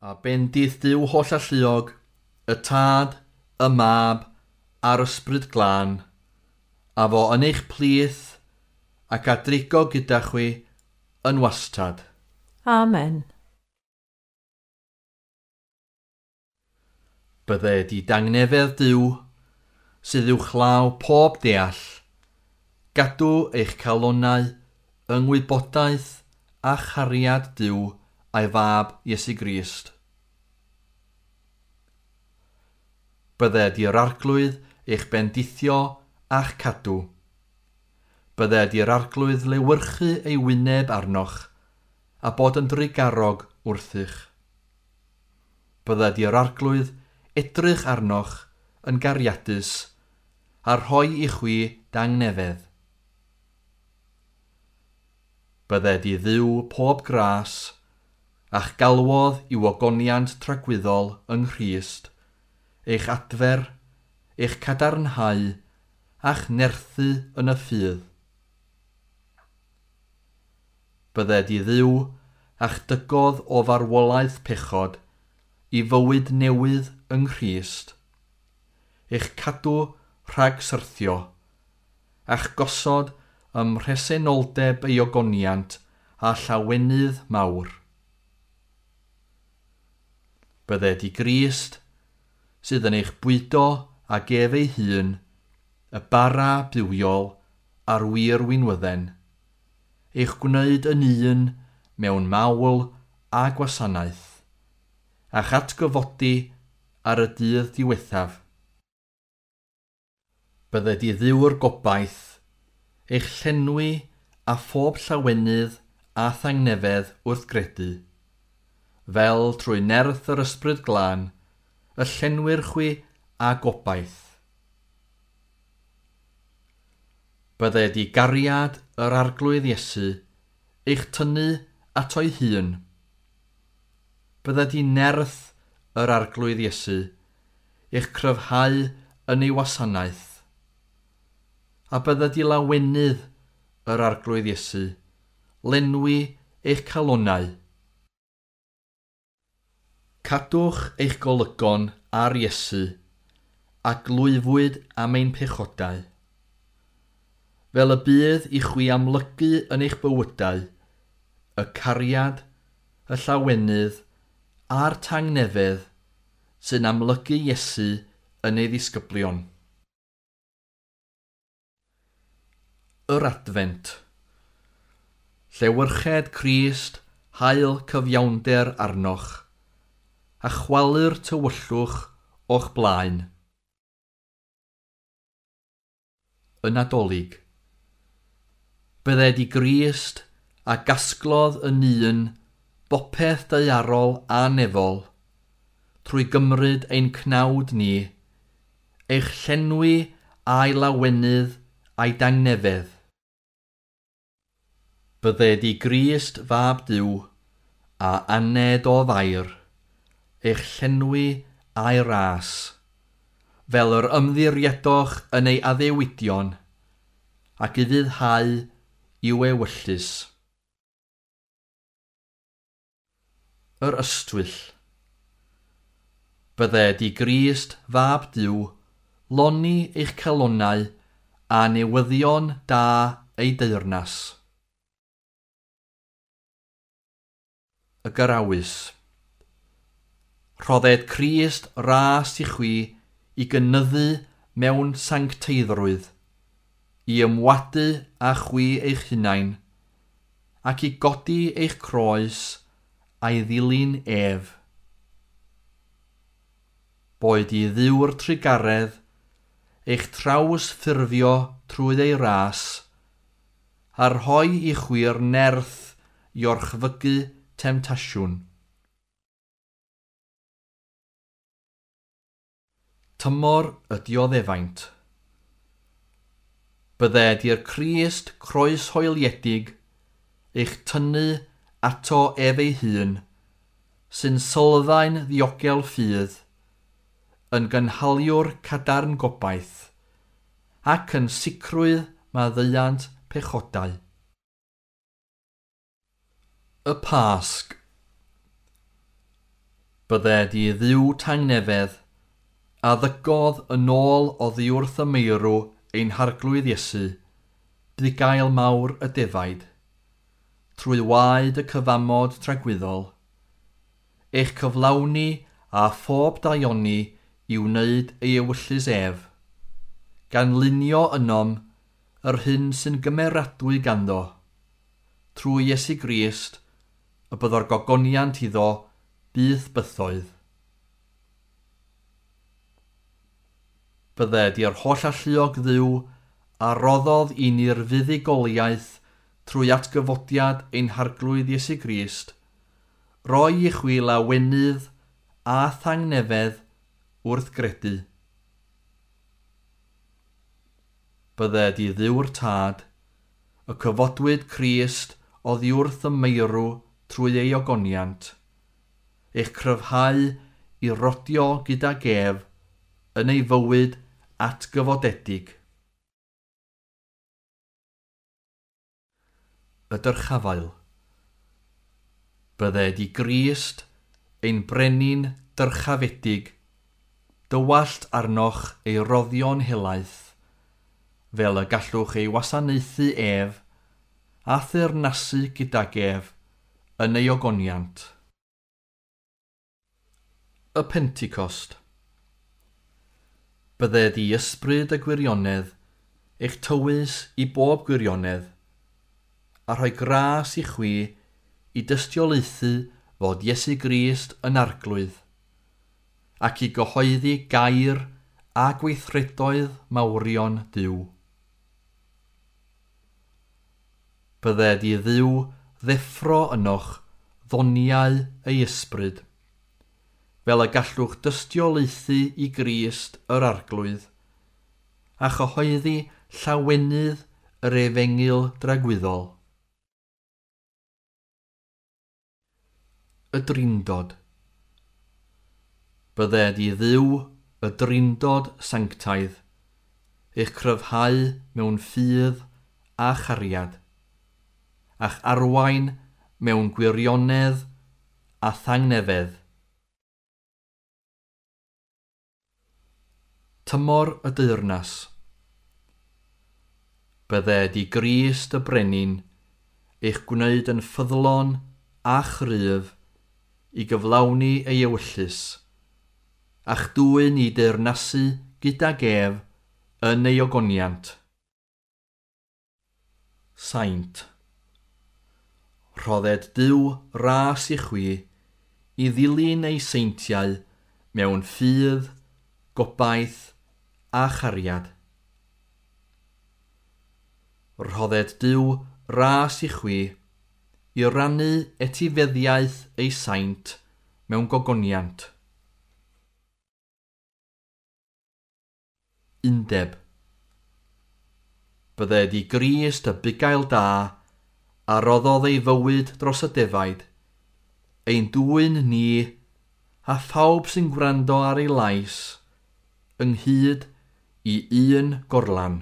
A bendith Duw Hollalluog, y Tad, y Mab a'r Ysbryd Glân, a fo yn eich plith ac a drigo gyda chwi yn wastad. Amen. Bydded i dangnefedd Duw, sydd uwchlaw pob deall, gadw eich calonnau yng ngwybodaeth a chariad Duw a'i Fab Iesu Grist. Bydded i'r Arglwydd eich bendithio a'ch cadw. Bydded i'r Arglwydd lewyrchu ei wyneb arnoch a bod yn drugarog wrthych. Bydded i'r Arglwydd edrych arnoch yn gariadus a rhoi i chwi dangnefedd. Bydded i Dduw pob gras a'ch galwodd i'w ogoniant tragwyddol yng Nghrist, eich adfer, eich cadarnhau a'ch nerthu yn y ffydd. Bydded i Dduw a'ch dygodd o farwolaeth pechod i fywyd newydd yng Nghrist, eich cadw rhag syrthio, a'ch gosod ym mhresenoldeb ei ogoniant a llawenydd mawr. Bydded i Grist, sydd yn eich bwydo ag ef ei hun, y bara bywiol a'r wir winwydden, eich gwneud yn un mewn mawl a gwasanaeth, a'ch atgyfodi ar y dydd diwethaf. Bydded i Dduw'r gobaith, eich llenwi a phob llawenydd a thangnefedd wrth gredu, fel trwy nerth yr Ysbryd Glân, y llenwir chwi a gobaith. Bydded i gariad yr Arglwydd Iesu eich tynnu ato'i hun. Bydded i nerth yr Arglwydd Iesu eich cryfhau yn ei wasanaeth. A bydded i lawenydd yr Arglwydd Iesu lenwi eich calonnau. Cadwch eich golygon ar Iesu a glwyfwyd am ein pechodau. Fel y bydd i chwi amlygu yn eich bywydau, y cariad, y llawenydd a'r tangnefedd sy'n amlygu Iesu yn ei ddisgyblion. Yr Adfent. Llewyrched Crist, haul cyfiawnder arnoch, a chwalu'r tywyllwch o'ch blaen. Y Nadolig. Bydded i Grist a gasglodd yn un bopeth daearol a nefol, trwy gymryd ein cnawd ni, eich llenwi a'i lawenydd a'i dangnefedd. Bydded i Grist Fab Duw a aned o Fair, eich llenwi a'i ras, fel yr ymddiriedoch yn ei addewidion, ac ufuddhau i'w ewyllys. Yr Ystwyll. Bydded i Grist Fab Duw loni eich calonnau a newyddion da ei deyrnas. Y Garawys. Rhodded Crist ras i chwi i gynyddu mewn sancteiddrwydd, i ymwadu â chwi eich hunain, ac i godi eich croes a'i ddilyn ef. Boed i Dduw'r trugaredd eich traws ffurfio trwy ei ras, a rhoi i chwi'r nerth i orchfygu temtasiwn. Tymor y dioddefaint. Bydded i'r Crist croeshoeliedig eich tynnu ato ef ei hun, sy'n sylfaen ddiogel ffydd, yn gynhaliwr cadarn gobaith, ac yn sicrwydd maddeuant pechodau. Y Pasg. Bydded i Dduw tangnefedd, a ddygodd yn ôl oddi wrth y meirw ein Harglwydd Iesu, bugail mawr y defaid, trwy waed y cyfamod tragwyddol, eich cyflawni a phob daioni i wneud ei ewyllys ef, gan lunio ynom yr hyn sy'n gymeradwy ganddo, trwy Iesu Grist, y byddo'r gogoniant iddo byth bythoedd. Bydded i'r holl alluog Dduw a roddodd i ni'r fuddugoliaeth trwy atgyfodiad ein Harglwydd Iesu Grist, roi i chwi lawenydd a thangnefedd wrth gredu. Bydded i Dduw'r Tad, y cyfodwyd Crist oddi wrth y meirw trwy ei ogoniant, eich cryfhau i rodio gydag ef yn ei fywyd atgyfodedig. Y dyrchafael. Bydded i Grist, ein brenin dyrchafedig, dywallt arnoch ei roddion helaeth, fel y gallwch ei wasanaethu ef a theyrnasu gydag ef yn ei ogoniant. Y Pentecost. Bydded i ysbryd y gwirionedd eich tywys i bob gwirionedd, a rhoi gras i chwi i dystiolaethu fod Iesu Grist yn Arglwydd, ac i gyhoeddi gair a gweithredoedd mawrion Duw. Bydded i Dduw ddeffro ynoch ddoniau ei ysbryd, fel y gallwch dystiolaethu i Grist yr Arglwydd, a chyhoeddi llawenydd yr efengyl dragwyddol. Y Drindod. Bydded i Dduw y Drindod sanctaidd, eich cryfhau mewn ffydd a chariad, a'ch arwain mewn gwirionedd a thangnefedd. Tymor y Deyrnas. Bydded i Grist y Brenin eich gwneud yn ffyddlon a chryf i gyflawni ei ewyllys, a'ch dwyn i deyrnasu gydag ef yn ei ogoniant. Saint. Rhodded Duw ras i chwi i ddilyn ei seintiau mewn ffydd, gobaith a chariad. Rhodded Duw ras i chwi i rannu etifeddiaeth ei saint mewn gogoniant. Undeb. Bydded i Grist y bugail da a roddodd ei fywyd dros y defaid, ein dwyn ni a phawb sy'n gwrando ar ei lais, ynghyd i un gorlan.